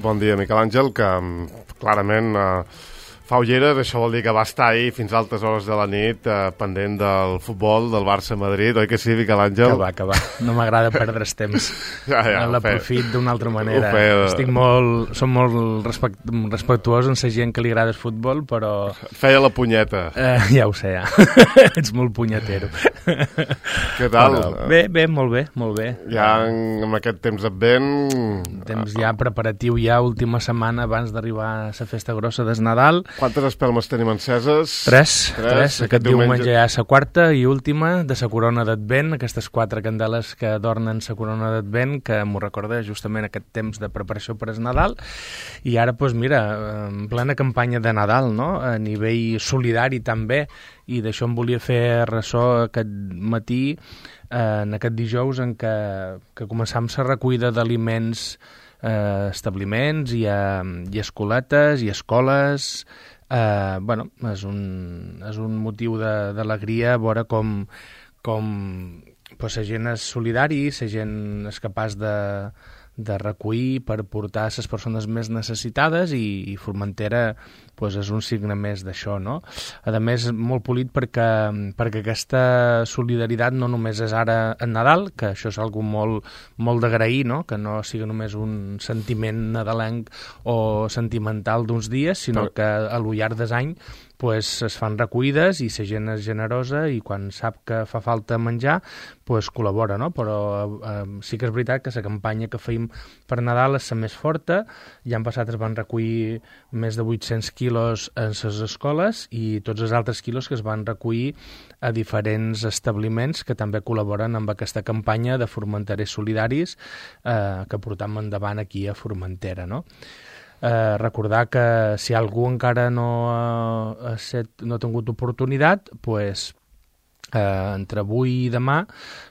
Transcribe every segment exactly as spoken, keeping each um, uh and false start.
Bon dia, Miquel Àngel, que clarament eh, fa ulleres, això vol dir que va estar ahir fins a altes hores de la nit eh, pendent del futbol del Barça-Madrid, oi que sí, Miquel Àngel? Que va, que va, no m'agrada perdre's temps. Ja, ja, l'aprofit d'una altra manera. Estic molt, som molt respect, respectuós amb la gent que li agrada el futbol, però... Feia la punyeta. Eh, ja ho sé, ja. Ets molt punyetero. Què tal? Però, bé, bé, molt bé, molt bé. Ja en, en aquest temps advent... Temps ja preparatiu, ja última setmana abans d'arribar a la festa grossa des Nadal. Quantes espelmes tenim enceses? Tres, tres. tres. Aquest diumenge ja és la quarta i última de la corona d'Advent, aquestes quatre candeles que adornen la corona d'Advent, que m'ho recorda justament aquest temps de preparació per al Nadal. I ara, doncs mira, en plena campanya de Nadal, no?, a nivell solidari també, i d'això em volia fer ressò aquest matí, eh, en aquest dijous en què, que començam la recollida d'aliments eh, establiments, i, a, i escoletes, i escoles. Eh, bueno, és un, és un motiu d'alegria veure com, com pues, la gent és solidari, la gent és capaç de, de recollir per portar a les persones més necessitades, i, i Formentera pues, és un signe més d'això, no? A més, molt polit perquè, perquè aquesta solidaritat no només és ara en Nadal, que això és algo molt, molt d'agrair, no?, que no sigui només un sentiment nadalenc o sentimental d'uns dies, sinó que a lo llarg dels anys pues, es fan recollides i la gent és generosa, i quan sap que fa falta menjar pues, col·labora, no? Però eh, sí que és veritat que la campanya que feim per Nadal és la més forta. L'any passat es van recollir més de vuit-cents quilos en les escoles, i tots els altres quilos que es van recollir a diferents establiments que també col·laboren amb aquesta campanya de Formenterers Solidaris eh, que portam endavant aquí a Formentera, no? Eh, recordar que si algú encara no ha, set, no ha tingut oportunitat, pues, eh, entre avui i demà,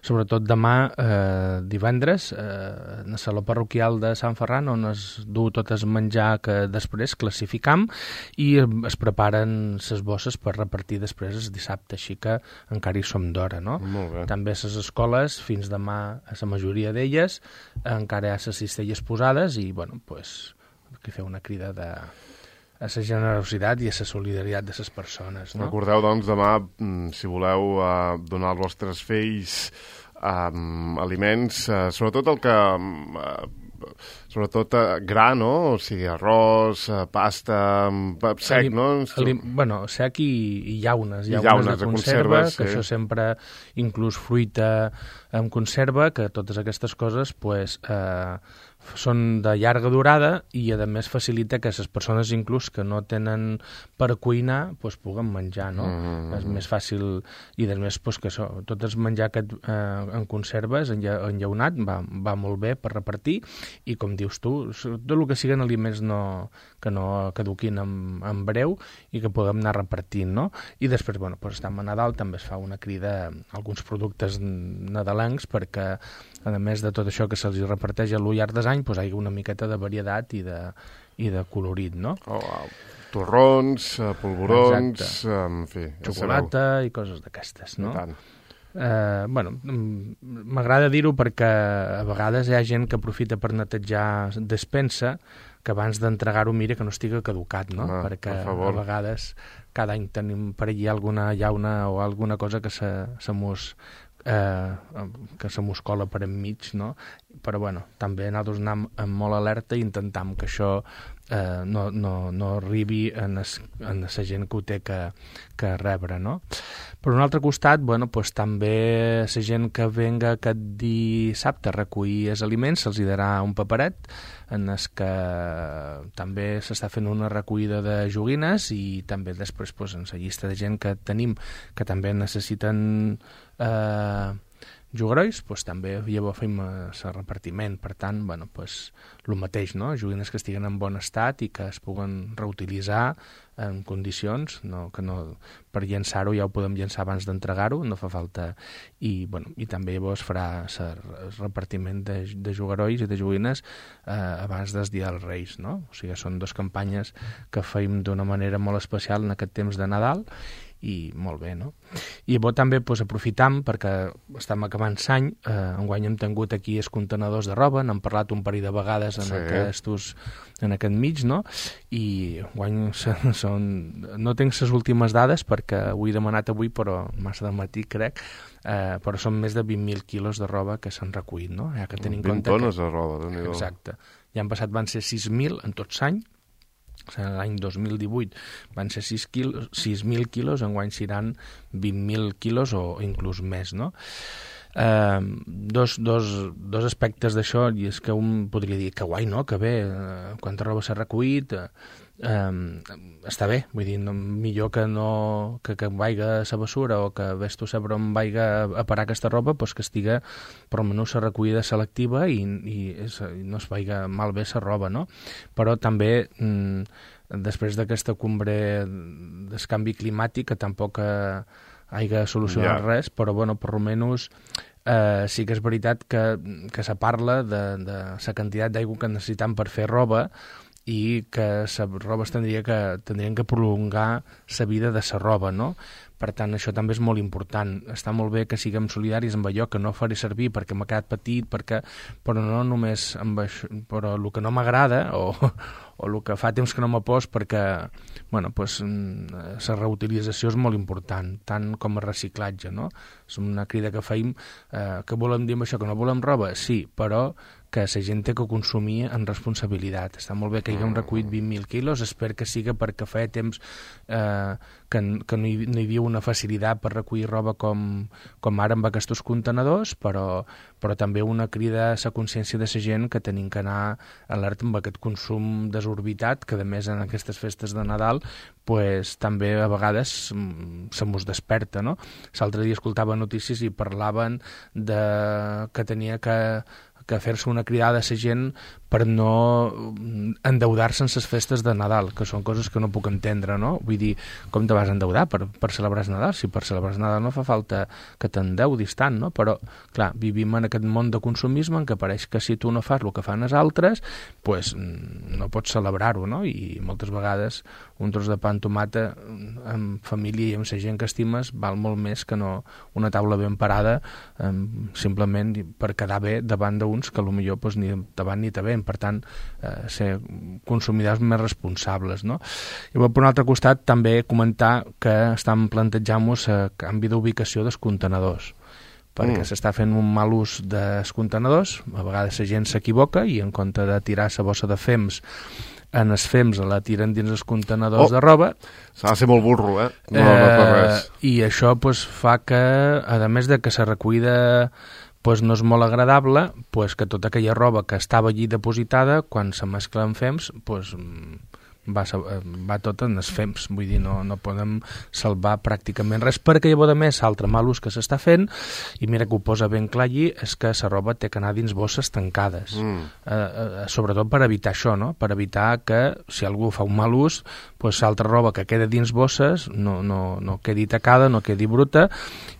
sobretot demà eh, divendres, eh, en el saló parroquial de Sant Ferran, on es du tot el menjar que després classificam, i es preparen les bosses per repartir després el dissabte, així que encara hi som d'hora, no? També a les escoles, fins demà a la majoria d'elles, encara hi ha les cistelles posades, i bueno, pues, que fer una crida de, a la generositat i a la solidaritat de les persones, no? Recordeu, doncs, demà, si voleu uh, donar als vostres fills um, aliments, uh, sobretot el que... Uh, sobretot uh, gra, no? O sigui, arròs, uh, pasta, uh, sec, alim, no? Alim, bueno, sec i, i llaunes, llaunes, llaunes de, de conserva, conserva, que sí. Això sempre, inclús fruita en conserva, que totes aquestes coses, pues, eh, són de llarga durada, i a més facilita que les persones inclús que no tenen per cuinar pues, puguen menjar, no? Mm. És més fàcil, i a més pues, que això, tot el menjar aquest, eh, en conserves, enllaunat, va, va molt bé per repartir, i com dius tu, tot el que siguin aliments no, que no caduquin en, en breu, i que puguem anar repartint, no? I després, bueno, pues, estem a Nadal, també es fa una crida a alguns productes nadalencs, perquè a més de tot això que se'ls reparteix a lo llarg dels anys, pues, hi ha una miqueta de varietat i de, i de colorit, no? Oh, wow. Torrons, polvorons, exacte. En fi... Xocolata i coses d'aquestes, no? Eh, bueno, m'agrada dir-ho perquè a vegades hi ha gent que aprofita per netejar despensa, que abans d'entregar-ho mira que no estigui caducat, no? Home, perquè per favor. A vegades cada any tenim per allí alguna llauna o alguna cosa que se, se mos... Eh, que se mos cola per enmig, no? Però bueno, també nosaltres anem amb molt alerta i intentam que això eh, no, no, no arribi en, es, en la gent que ho té que, que rebre, no? Per un altre costat, bueno, pues, també la gent que venga aquest dissabte a recollir els aliments se'ls hi darà un paperet en el que també s'està fent una recollida de joguines, i també després pues, en la llista de gent que tenim que també necessiten eh, jugarois, pues, també llavors fem el repartiment. Per tant, bueno, pues, el mateix, no? Joguines que estiguen en bon estat i que es puguen reutilitzar en condicions, no, que no, per llançar-ho ja ho podem llançar abans d'entregar-ho, no fa falta, i, bueno, i també llavors farà el repartiment de, de jugarois i de joguines eh, abans del dia dels Reis, no? O sigui, són dues campanyes que feim d'una manera molt especial en aquest temps de Nadal, i molt bé, no? I bo també pues, aprofitam, perquè estem acabant l'any, eh, enguany hem tingut aquí els contenedors de roba, n'hem parlat un parell de vegades en, sí. aquests, en aquest mig, no? I enguany són... No tinc les últimes dades perquè ho he demanat avui, però massa de matí, crec, eh, però són més de vint mil quilos de roba que s'han recollit, no? Ja que tenim vint tones que... de roba, déu-n'hi-do. Exacte. L'any passat van ser sis mil en tot l'any, l'any dos mil divuit van ser sis mil quilos, enguany seran vint mil quilos o inclús més, no? Eh, dos, dos, dos aspectes d'això, i és que un podria dir que guai, no?, que bé, eh, quanta roba s'ha recollit, eh, eh, està bé, vull dir, no, millor que no que, que vaiga a la bessura o que ves tu saber on vaiga a parar aquesta roba, doncs que estiga per almenys la recollida selectiva i, i, és, i no es vaiga malbé la roba, no? Però també mm, després d'aquesta cumbre del canvi climàtic, que tampoc eh, hagi solucionat yeah. res, però bueno, per almenys eh, sí que és veritat que, que se parla de, de la quantitat d'aigua que necessitem per fer roba i que la roba es tindria que, tindrien que prolongar la vida de la roba, no? Per tant, això també és molt important. Està molt bé que siguem solidaris amb allò que no faré servir perquè m'ha quedat petit, perquè, però no només amb això, però el que no m'agrada o, o el que fa temps que no m'ha post, perquè bueno, pues, la reutilització és molt important, tant com el reciclatge, no? És una crida que feim, eh, que volem dir amb això, que no volem roba? Sí, però que la gent té que consumir en responsabilitat. Està molt bé que haguem recollit vint mil quilos, espero que siga perquè feia temps eh, que, que no, hi, no hi havia una facilitat per recollir roba com, com ara amb aquests contenedors, però, però també una crida a la consciència de la gent que tenim que anar alerta amb aquest consum desorbitat, que a més en aquestes festes de Nadal pues, també a vegades se mos desperta, no? L'altre dia escoltava notícies i parlaven de que tenia que que fer-se una cridada a la gent per no endeudar-se en les festes de Nadal, que són coses que no puc entendre, no? Vull dir, com te vas endeudar per, per celebrar el Nadal? Si per celebrar el Nadal no fa falta que t'endeudis tant, no? Però, clar, vivim en aquest món de consumisme en què pareix que si tu no fas el que fan els altres, pues, no pots celebrar-ho, no? I moltes vegades un tros de pa amb tomata amb família i amb la gent que estimes val molt més que no una taula ben parada eh, simplement per quedar bé davant d'uns que potser pues, ni davant ni davant. Per tant, eh, ser consumidors més responsables, no? I per un altre costat també comentar que estem plantejant-nos el canvi d'ubicació dels contenedors, perquè mm. s'està fent un mal ús dels contenedors, a vegades la gent s'equivoca i en compte de tirar la bossa de fems en els fems la tiren dins els contenedors oh, de roba. S'ha de ser molt burro, eh? No, eh, no per res. I això pues, fa que, a més de que la recollida pues, no és molt agradable, pues, que tota aquella roba que estava allí depositada, quan se mescla amb fems, pues, va, va tot en els fems, vull dir, no, no podem salvar pràcticament res, perquè llavors a més l'altre mal ús que s'està fent, i mira que ho posa ben clar allí, és que la roba té que anar dins bosses tancades, mm. eh, eh, sobretot per evitar això, no? Per evitar que si algú fa un mal ús, pues, l'altra roba que queda dins bosses no, no, no quedi tacada, no quedi bruta,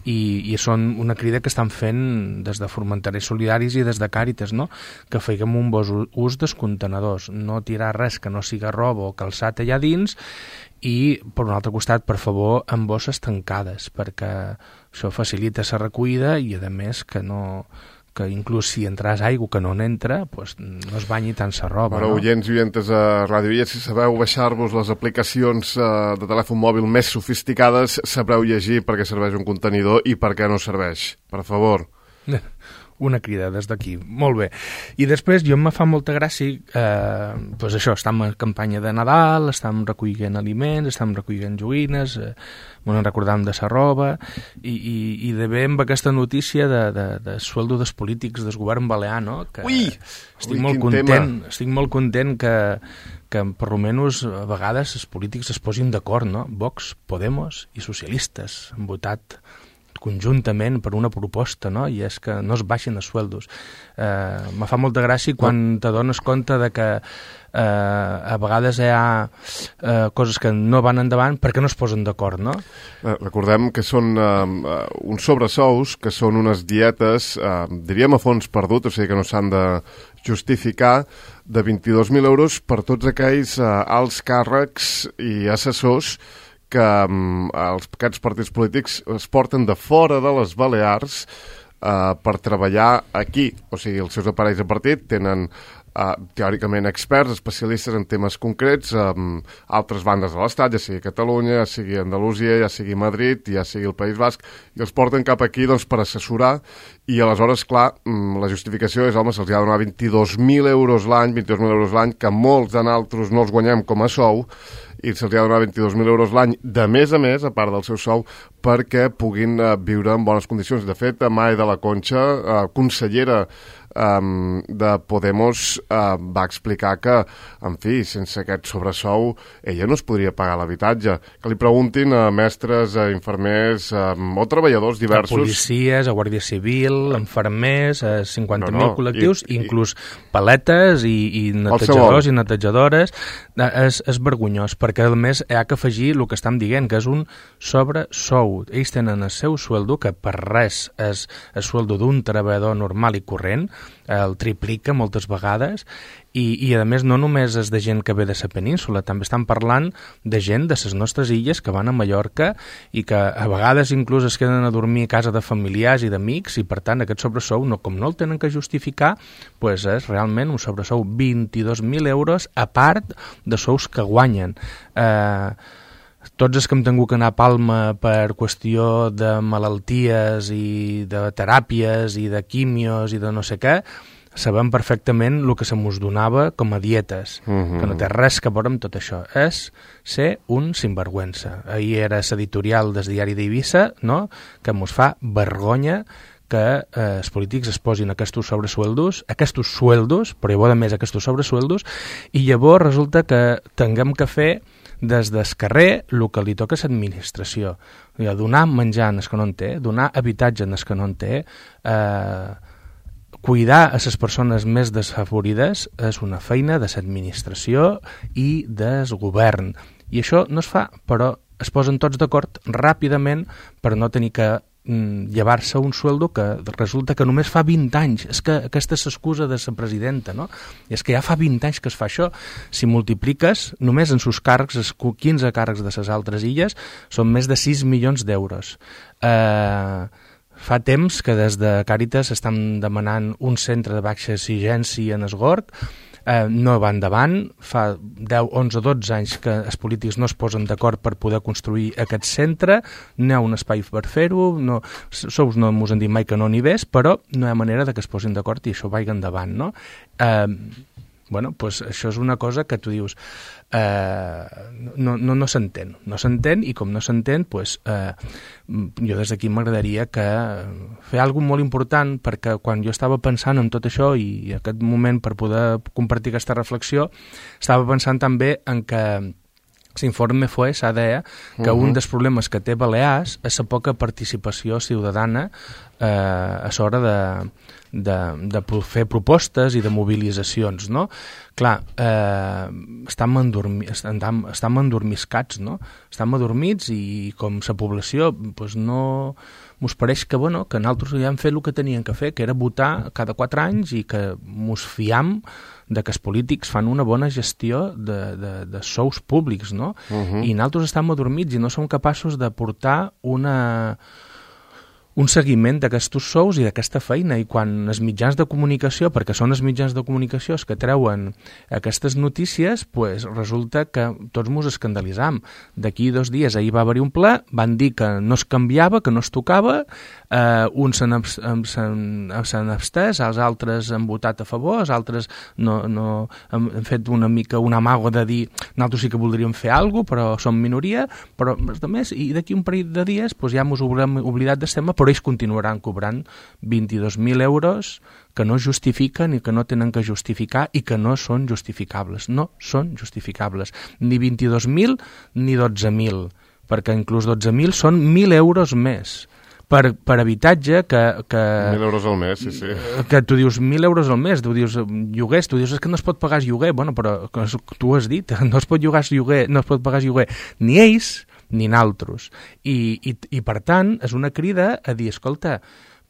i, i són una crida que estan fent des de Formenterers Solidaris i des de Càritas, no? Que feiguem un bon ús dels contenedors, no tirar res que no siga roba o calçat allà dins, i per un altre costat, per favor, amb bosses tancades, perquè això facilita la recollida i a més que no que inclús si entràs aigua que no n'entra, pues, no es banyi tant la roba. Però, no? Oients i oientes a Ràdio Illes, si sabeu baixar-vos les aplicacions eh, de telèfon mòbil més sofisticades, sabreu llegir per què serveix un contenidor i per què no serveix. Per favor. Una crida des d'aquí, molt bé. I després jo me fa molta gràcia, eh, doncs això, estem en campanya de Nadal, estem recollint aliments, estem recollint joguines, eh, bueno, recordant de sa roba, i, i, i de bé amb aquesta notícia de, de, de sueldo dels polítics del govern balear, no? Que ui! Estic Ui, molt content, tema. estic molt content que, que per almenys a vegades els polítics es posin d'acord, no? Vox, Podemos i socialistes han votat conjuntament per una proposta, no? I és que no es baixin els sueldos. Eh, me fa molta gràcia quan te dones compte de que eh, a vegades hi ha eh, coses que no van endavant perquè no es posen d'acord, no? Eh, recordem que són eh, uns sobresous, que són unes dietes, eh, diríem a fons perdut, o sigui que no s'han de justificar, de vint-i-dos mil euros per tots aquells eh, alts càrrecs i assessors que um, els, aquests partits polítics es porten de fora de les Balears uh, per treballar aquí. O sigui, els seus aparells de partit tenen Uh, teòricament experts, especialistes en temes concrets, amb um, altres bandes de l'Estat, ja sigui Catalunya, ja sigui Andalusia, ja sigui Madrid, ja sigui el País Basc, i els porten cap aquí doncs, per assessorar, i aleshores, clar, um, la justificació és, home, se'ls ha de donar vint-i-dos mil euros l'any, vint-i-dos mil euros l'any, que molts de nosaltres no els guanyem com a sou, i se'ls ha de donar vint-i-dos mil euros l'any, de més a més, a part del seu sou, perquè puguin uh, viure en bones condicions. De fet, May de la Concha, uh, consellera Um, de Podemos, uh, va explicar que, en fi, sense aquest sobresou ella no es podria pagar l'habitatge. Que li preguntin a mestres, a infermers um, o treballadors diversos. A policies, a Guàrdia Civil, a infermers, a cinquanta mil no, no. col·lectius, i, inclús paletes i, i netejadors i netejadores. És, és vergonyós, perquè a més hi ha que afegir el que estem dient, que és un sobresou. Ells tenen el seu sueldo, que per res és el sueldo d'un treballador normal i corrent, el triplica moltes vegades, i, i a més no només és de gent que ve de la península, també estan parlant de gent de les nostres illes que van a Mallorca i que a vegades inclús es queden a dormir a casa de familiars i d'amics, i per tant aquest sobresou, no, com no el tenen que justificar, pues és realment un sobresou vint-i-dos mil euros a part de sous que guanyen. Eh... Tots els que hem tingut que anar a Palma per qüestió de malalties i de teràpies i de quimios i de no sé què, sabem perfectament el que se mos donava com a dietes, uh-huh. que no té res que veure amb tot això. És ser un sinvergüenza. Ahir era l'editorial del diari d'Eivissa, no?, que mos fa vergonya que eh, els polítics es posin aquests sobresueldos, aquests sueldos, però llavors a més aquests sobresueldos, i llavors resulta que tinguem que fer des del carrer el que li toca a l'administració. Donar menjar en el que no en té, donar habitatge en el que no en té, eh, cuidar a les persones més desfavorides és una feina de l'administració i del govern. I això no es fa, però es posen tots d'acord ràpidament per no tenir que llevar-se un sueldo que resulta que només fa vint anys. És que aquesta és l'excusa de la presidenta, no? I és que ja fa vint anys que es fa això. Si multipliques, només en sus càrrecs, els quinze càrrecs de les altres illes, són més de sis milions d'euros. Eh... Fa temps que des de Càritas estan demanant un centre de baixa exigència en Esgorg, eh, no va endavant, fa deu, onze, dotze anys que els polítics no es posen d'acord per poder construir aquest centre, no hi ha un espai per fer-ho, no, sous no mos han dit mai que no n'hi ves, però no hi ha manera de que es posin d'acord i això vagi endavant, no? Eh, bueno, pues això és una cosa que tu dius eh, no, no, no s'entén no s'entén i com no s'entén pues, eh, jo des d'aquí m'agradaria que fer alguna cosa molt important, perquè quan jo estava pensant en tot això i en aquest moment per poder compartir aquesta reflexió estava pensant també en que l'informe FOESA deia que uh-huh. un dels problemes que té Balears és la poca participació ciutadana eh, a l'hora de, de, de fer propostes i de mobilitzacions, no? Clar, eh, estem, endormi, estem, estem endormiscats, no? Estem adormits i com la població pues no mos pareix que, bueno, que nosaltres ja hem fet el que tenien que fer, que era votar cada quatre anys i que mos fiam de que els polítics fan una bona gestió de, de, de sous públics, no? Uh-huh. I nosaltres estem adormits i no som capaços de portar una, un seguiment d'aquests sous i d'aquesta feina, i quan els mitjans de comunicació, perquè són els mitjans de comunicació els que treuen aquestes notícies, pues resulta que tots mos escandalitzam. D'aquí dos dies ahir va haver-hi un ple, van dir que no es canviava, que no es tocava, eh, uns s'han abstès, els altres han votat a favor, els altres no, no, han fet una mica un amago de dir nosaltres sí que voldríem fer alguna cosa, però som minoria, però els altres, i d'aquí un parell de dies pues ja mos haurem oblidat del tema, però ells continuaran cobrant vint-i-dos mil euros que no justifiquen i que no tenen que justificar i que no són justificables. No són justificables. Ni vint-i-dos mil ni dotze mil, perquè inclús dotze mil són mil euros més. Per, per habitatge que, que... Mil euros al mes, sí, sí. Que tu dius mil euros al mes, tu dius lloguers, tu dius és que no es pot pagar lloguer, bueno, però tu has dit, no es pot llogar lloguer, no es pot pagar lloguer, ni ells ni naltros. I, i, i per tant és una crida a dir, escolta,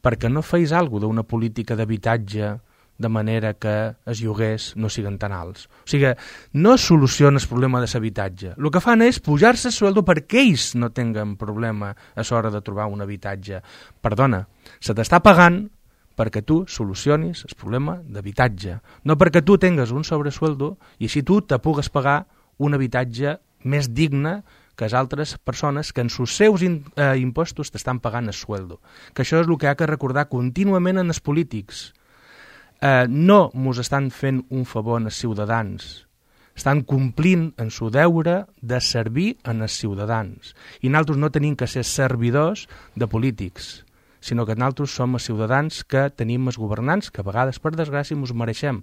perquè no feis alguna cosa d'una política d'habitatge de manera que els lloguers no siguin tan alts. O sigui, no soluciona el problema de l'habitatge. El que fan és pujar-se el sueldo perquè ells no tinguen problema a l'hora de trobar un habitatge. Perdona, se t'està pagant perquè tu solucionis el problema d'habitatge, no perquè tu tingues un sobresueldo i així tu te pugues pagar un habitatge més digne que les altres persones que en els seus in, eh, impostos t'estan pagant el sueldo. Que això és el que ha que recordar contínuament en els polítics. Eh, no mos estan fent un favor als ciutadans, estan complint en su deure de servir en els ciutadans. I nosaltres no tenim que ser servidors de polítics, sinó que nosaltres som els ciutadans que tenim els governants, que a vegades, per desgràcia, ens mereixem,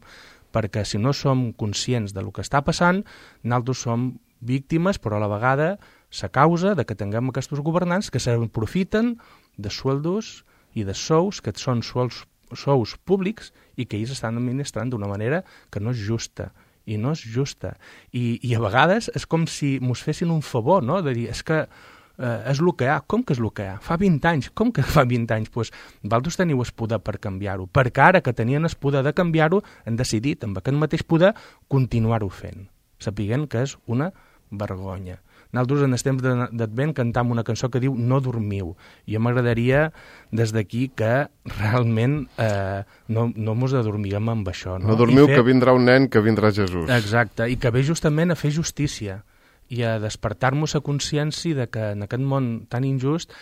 perquè si no som conscients de lo que està passant, nosaltres som víctimes, però a la vegada la causa de que tinguem aquests governants que s'aprofiten de sueldos i de sous, que són sous sous públics i que ells estan administrant d'una manera que no és justa, i no és justa. I, i a vegades és com si mos fessin un favor, no?, de dir, és que eh, és el que hi ha. Com que és el que hi ha? Fa vint anys. Com que fa vint anys? Doncs vosaltres teniu el poder per canviar-ho, perquè ara que tenien el poder de canviar-ho, han decidit, amb aquest mateix poder, continuar-ho fent, sapiguent que és una vergonya. Nosaltres en el temps d'Advent cantam una cançó que diu No dormiu, i a mi m'agradaria des d'aquí que realment eh, no, no mos adormiguem amb això. No, no dormiu, fer... que vindrà un nen, que vindrà Jesús. Exacte, i que ve justament a fer justícia i a despertar-nos a consciència de que en aquest món tan injust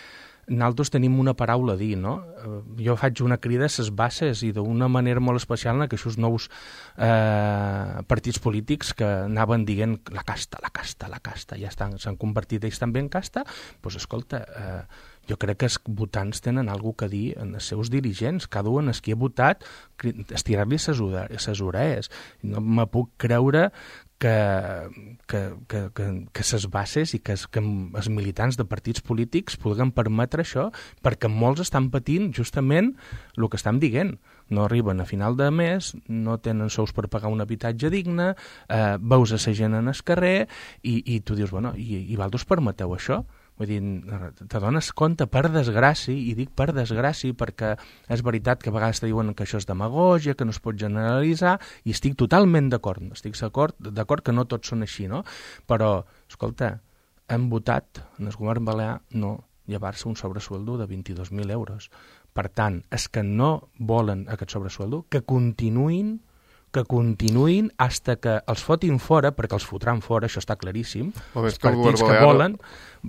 nosaltres tenim una paraula a dir, no? Jo faig una crida a les bases i d'una manera molt especial en aquests nous eh, partits polítics que anaven dient la casta, la casta, la casta, ja estan, s'han convertit ells també en casta, doncs escolta, eh, jo crec que els votants tenen alguna cosa a dir en els seus dirigents, cada un en qui ha votat, estirar-li les orelles. No me puc creure que, que, que, que, que ses bases i que, que els militants de partits polítics puguen permetre això, perquè molts estan patint justament el que estem dient. No arriben a final de mes, no tenen sous per pagar un habitatge digne, eh, veus a la gent en el carrer i, i tu dius, bueno, i, i vosaltres permeteu això? Vull dir, te dones compte, per desgràcia, i dic per desgràcia perquè és veritat que a vegades te diuen que això és demagògia, que no es pot generalitzar, i estic totalment d'acord, estic d'acord que no tots són així, no? Però, escolta, hem votat en el govern balear no llevar-se un sobresueldo de vint-i-dos mil euros. Per tant, és que no volen aquest sobresueldo, que continuïn que continuïn hasta que els fotin fora, perquè els fotran fora, això està claríssim. Els partits que volen,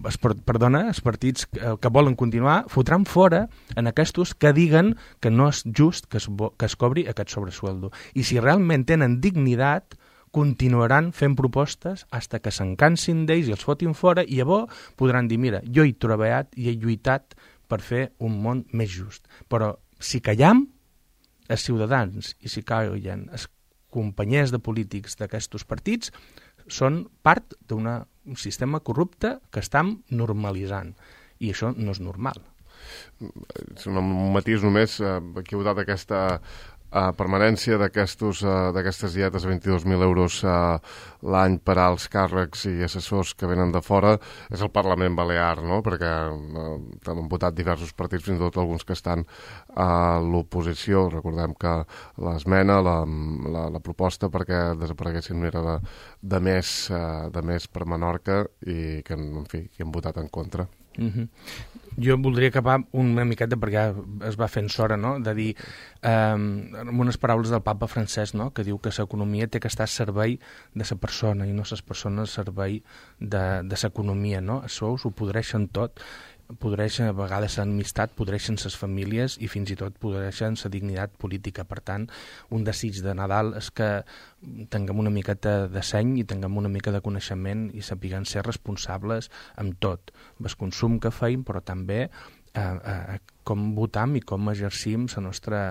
es, perdona, els partits que, que volen continuar, fotran fora en aquests que diguen que no és just que es, que es cobri aquest sobresueldo. I si realment tenen dignitat, continuaran fent propostes hasta que se'n cansin d'ells i els fotin fora, i llavors podran dir, mira, jo he treballat i he lluitat per fer un món més just. Però si callam, els ciutadans, i si callen els companys de polítics d'aquests partits, són part d'un sistema corrupte que estem normalitzant. I això no és normal. És un matís només, eh, que heu dat aquesta Uh, permanència d'aquestes uh, dietes a vint-i-dos mil euros uh, l'any per als càrrecs i assessors que venen de fora és el Parlament Balear, no? Perquè uh, han votat diversos partits, fins i tot alguns que estan a l'oposició. Recordem que l'esmena, la, la, la proposta perquè desapareguessin era de, de, més, uh, de més per Menorca i que, en fi, que han votat en contra. Mm-hmm. Jo voldria acabar una miqueta perquè es va fent sora, no?, de dir eh, amb unes paraules del papa Francesc, no?, que diu que l'economia té que estar al servei de la persona i no les persones al servei de, de l'economia, no? Això ho podreixen tot, podreixen a vegades l'amistat, podreixen les famílies i fins i tot podreixen la dignitat política. Per tant, un desig de Nadal és que tinguem una miqueta de seny i tinguem una mica de coneixement i sapiguem ser responsables amb tot, amb el consum que feim, però també eh, eh, com votam i com exercim la nostra,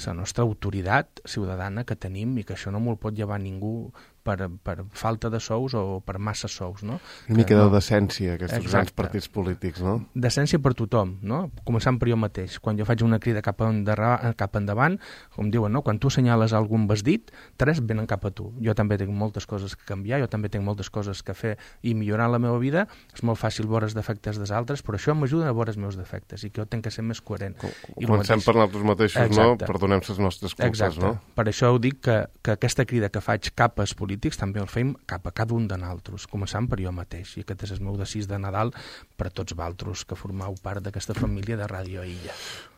la nostra autoritat ciutadana que tenim, i que això no me'l pot llevar ningú per, per falta de sous o per massa sous, no? Una mica que, de no. decència, aquests Exacte. grans partits polítics, no? Decència per tothom, no? Començant per jo mateix. Quan jo faig una crida cap, endarra, cap endavant, com diuen, no? Quan tu assenyales algun vestit, tres venen cap a tu. Jo també tinc moltes coses que canviar, jo també tinc moltes coses que fer i millorar la meva vida. És molt fàcil veure els defectes dels altres, però això m'ajuda a veure els meus defectes i que jo tinc que ser més coherent. Comencem per nosaltres mateixos, Exacte. no? Perdonem les nostres culpes, Exacte. no? Per això ho dic que, que aquesta crida que faig cap als polítics també el fem cap a cada un de nosaltres, començant per jo mateix. I aquest és el meu desig de Nadal per a tots vosaltres que formeu part d'aquesta família de Ràdio Illa.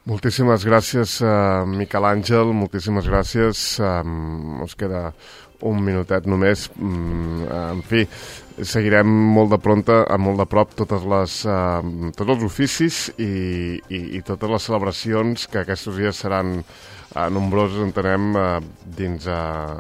Moltíssimes gràcies, uh, Miquel Àngel, moltíssimes gràcies. Um, ens queda un minutet només. Um, en fi, seguirem molt de pronta, molt de prop totes les, uh, tots els oficis i, i, i totes les celebracions que aquests dies seran uh, nombrosos, entenem, uh, dins uh,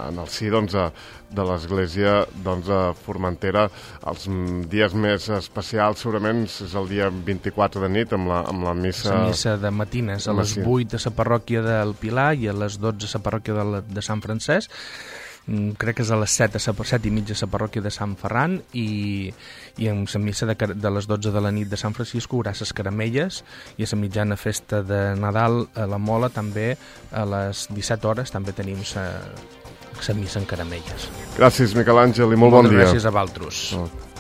en el si doncs, uh, de l'església doncs, de Formentera. Els dies més especials segurament és el dia vint-i-quatre de nit amb la, amb la missa... La missa de matines, a les vuit a la parròquia del Pilar i a les dotze a la parròquia de, la, de Sant Francesc. Crec que és a les set, a la, set i mitja a la parròquia de Sant Ferran i, i en la missa de, de les dotze de la nit de Sant Francisco hi haurà les caramelles i a la mitjana festa de Nadal a la Mola també a les disset hores també tenim la missa en caramelles. Gràcies, Miquel Àngel, i molt Moltes bon dia. Gràcies a vosaltres. Oh.